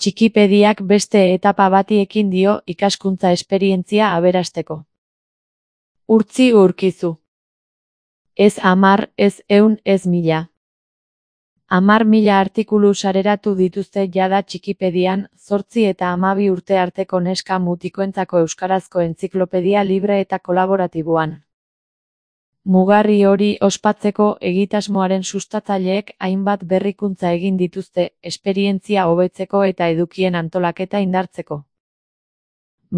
Txikipediak beste etapa bati ekin dio ikaskuntza esperientzia aberasteko. Urtzi Urkizu. Ez 10, ez 100, ez 1000. 10.000 artikulu sareratu dituzte jada Txikipedian, 8 eta 12 urte arteko neska mutikoentzako euskarazko entziklopedia libre eta kolaboratiboan. Mugarri hori ospatzeko egitasmoaren sustatzaileek hainbat berrikuntza egin dituzte, esperientzia hobetzeko eta edukien antolaketa indartzeko.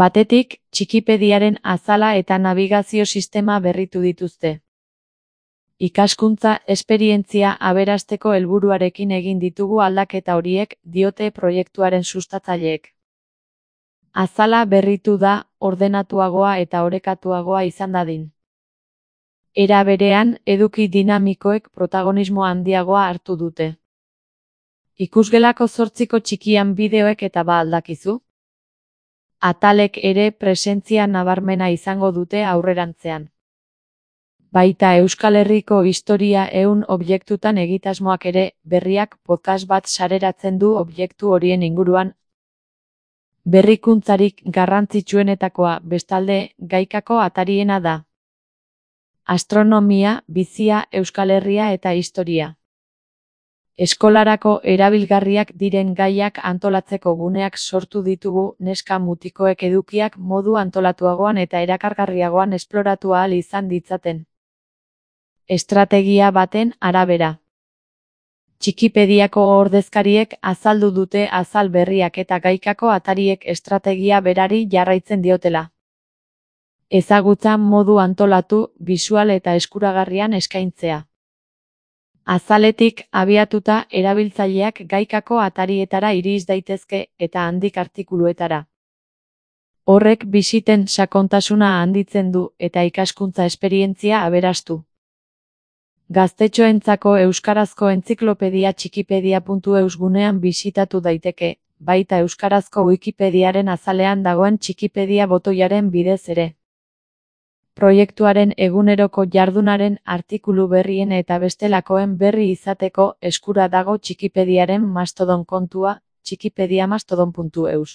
Batetik, Txikipediaren azala eta nabigazio sistema berritu dituzte. Ikaskuntza esperientzia aberasteko helburuarekin egin ditugu aldaketa horiek, diote proiektuaren sustatzaileek. Azala berritu da, ordenatuagoa eta orekatuagoa izan dadin. Era berean, eduki dinamikoek protagonismo handiagoa hartu dute. Ikusgelako 8ko txikian bideoek eta ba aldakizu? Atalek ere presentzia nabarmena izango dute aurrerantzean. Baita Euskal Herriko historia 100 objektutan egitasmoak ere, berriak podcast bat sareratzen du objektu horien inguruan. Berrikuntzarik garrantzitsuenetakoa, bestalde, gaikako atariena da. Astronomia, bizia, Euskal Herria eta historia. Eskolarako erabilgarriak diren gaiak antolatzeko guneak sortu ditugu neska mutikoek edukiak modu antolatuagoan eta erakargarriagoan esploratu ahal izan ditzaten. Estrategia baten arabera. Txikipediako ordezkariek azaldu dute azal berriak eta gaikako atariek estrategia berari jarraitzen diotela. Ezagutza modu antolatu, bisual eta eskuragarrian eskaintzea. Azaletik abiatuta erabiltzaileak gaikako atarietara iris daitezke eta handik artikuluetara. Horrek bisiten sakontasuna handitzen du eta ikaskuntza esperientzia aberastu. Gaztetxoentzako euskarazko entziklopedia txikipedia.eus gunean bisitatu daiteke, baita euskarazko Wikipediaren azalean dagoen Txikipedia botoiaren bidez ere. Proiektuaren eguneroko jardunaren artikulu berrien eta bestelakoen berri izateko eskura dago Txikipediaren Mastodon kontua, txikipediamastodon.eus.